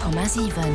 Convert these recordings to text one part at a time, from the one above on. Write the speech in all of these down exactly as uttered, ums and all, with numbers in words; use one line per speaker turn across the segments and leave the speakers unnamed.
Komma siwen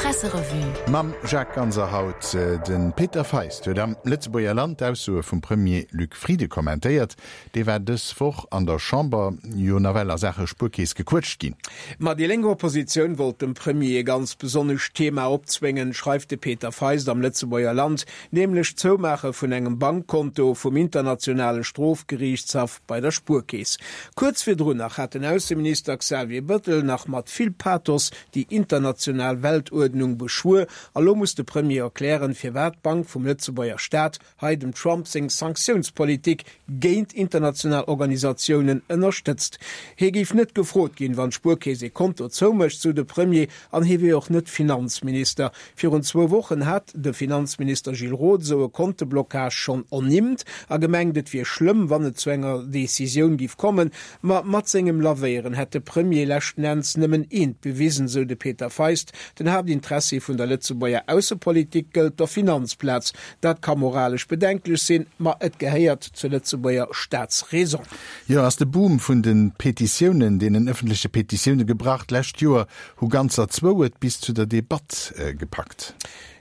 Presserevue.
Mam Jacques Ganser haut. De Peter Feist huet am Lëtzebuerger Land d'Aussoe vum Premier Luc Frieden kommentéiert. Dee war dës Woch an der Chamber jo nawell a Saache Spuerkeess gequëtscht ginn.
Ma déi lénk Oppositioun wollt dem Premier e ganz besonnescht Thema opzwéngen, schreift de Peter Feist am Lëtzebuerger Land, nämlech d'Zoumaache vun engem Bankkonto vum Internationale Strofgeriichtshaff bei der Spuerkeess. Kuerz virdrun nach hat den Ausseminister Xavier Bëttel nach mat vill Pathos déi international Weltuerdnung beschwuer a lo muss de Premier erklären, firwat d'Bank vum Lëtzebuerger Staat hei dem Trump seng Sanktiounspolitik géint international Organisatiounen ënnerstëtzt. Hie géif net gefrot ginn, wann d'Spuerkeess ee Konto zoumécht, sou de Premier, an hie wier och net Finanzminister. Virun zwou Wochen hat de Finanzminister Gilles Roth esou e Konteblocage schonn ernimmt a gemengt, et wier schlëmm, wann et zu enger Decisioun giff kommen. Ma mat sengem Lavéieren hätt de Premier leschten Enns nëmmen eent bewisen, sou de Peter Feist, Den Haaptinteressi vun der Lëtzebuerger Aussepolitik gëllt der Finanzplaz. Dat ka moralesch bedenklech sinn, ma et gehéiert zur Lëtzebuerger Staatsräson.
Jo, ass de Boom vun de Petitiounen, deenen ëffentleche Petitioune gebrach? D'lescht Joer hu ganzer zwou et bis zu der Debatt gepackt.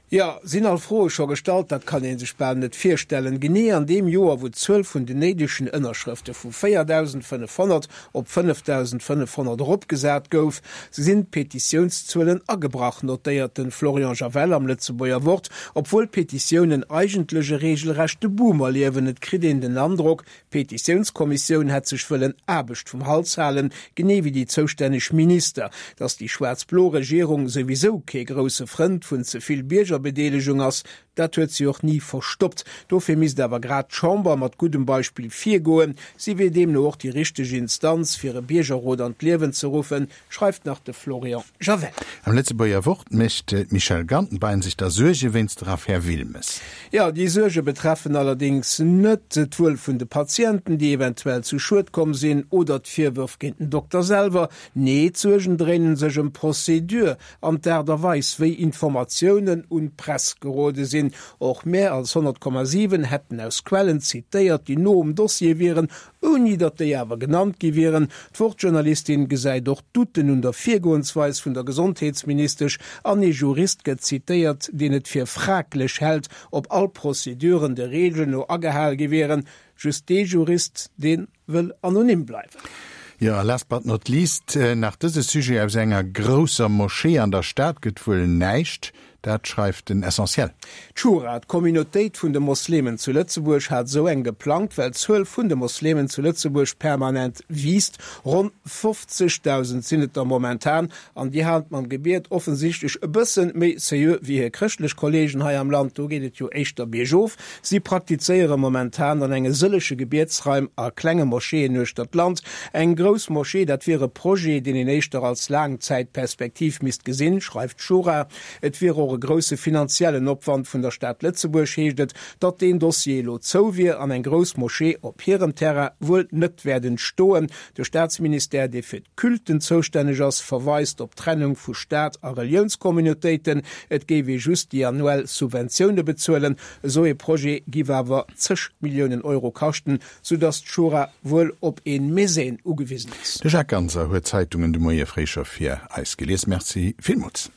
Jo, sinn all Froe scho gestallt? Dat kann ee sech bal net virstellen. Genee an deem Joer, wou d'Zuel vun den néidegen Ënnerschrëfte vu véierdausendfënnefhonnert op fënnefdausendfënnefhonnert eropgesat gouf, sinn d'Petitiounszuelen agebrach, notéiert de Florian Javel am Lëtzebuerger Wort. Obwuel d'Petitiounen eigentlech e reegelrechte Boom erliewen. Et kritt een den Androck, d'Petitiounskommissioun hätt sech wëllen Aarbecht vum Hals halen, genee wéi déi zoustänneg Minister. Datt déi schwaarz-blo Regierung souwisou kee grousse Frënd vun ze vill Biergerbedeelegung ass, dat huet si och ni verstoppt. Dofir misst awer grad d'Chamber mat guddem Beispill virgoen. Si wier deemno och déi richteg Instanz, fir e Biergerrot an d'Liewen ze ruffen, schreift nach de Florian Javel.
Am Lëtzebuerger Wort mécht d'Michèle Gantenbein sech da Suerge wéinst der Affär Wilmes.
Jo, déi Suerge betreffen allerdéngs net d'Wuel vun de Patienten, déi eventuell zu Schued komm sinn, oder d'Virwërf géint den Dokter selwer. Nee, d'Suergen dréinen sech ëm d'Procédure an d'Aart a Weis, wéi Informatiounen un d'Press gerode sinn. Och mär als honnert Komma siwen hätten aus Quellen zitéiert, déi no um Dossier wieren, ouni datt déi awer genannt gi wieren. D'Wort-Journalistin gesäit och Douten un der Virgoensweis vun der Gesondheetsministesch an ee Jurist gëtt zitéiert, deen et fir fraglech hält, ob all Prozeduren de Reegelen no agehal gi wieren. Just dee Jurist, dee wëll anonym bleiwen.
Jo, a last but not least nach dëse Sujet, Aus enger grousser Moschee an der Stad gëtt wuel näischt. Dat schreift den Essentiel.
D'Schura, d'Communautéit vun de Moslemen zu Lëtzebuerg, hat esou eng geplangt, well d'Zuel vun de Moslemen zu Lëtzebuerg permanent wiisst. Ronn fofzegdausend sinn et der momentan, an déi halen et mam Gebiet offensichtlech e bësse méi seriö wéi hir chrëschtlech Kolleegen hei am Land. Do geet et jo éischter biergof. Si praktizéiere momentan an enge sëllege Gebietsraim a klenge Moscheeën uechter d'Land. Eng grouss Moschee, dat wier e Projet, deen een éischter als Laangzäitperspektiv misst gesinn, schreift d'Schura. Et wier och e grousse finanziellen Opwand vun der Stad Lëtzebuerg, heescht et, datt deen Dossier elo zou wier an eng grouss Moschee op hirem Terrain wuel net wäert entstoen. De Staatsministère, dee fir d'Culten zoustänneg ass, verweist op d'Trennung vu Staat a Reliounscommunautéiten. Et géif ee just déi annuell Subventioune bezuelen. Esou ee Projet giff awer zeg Milliounen Euro kaschten, soudatt d'Schura wuel op ee Mäzen ugewisen ass.
De Jacques Ganser huet d'Zeitungen de Moie fréi scho fir eis gelies. Merci villmools.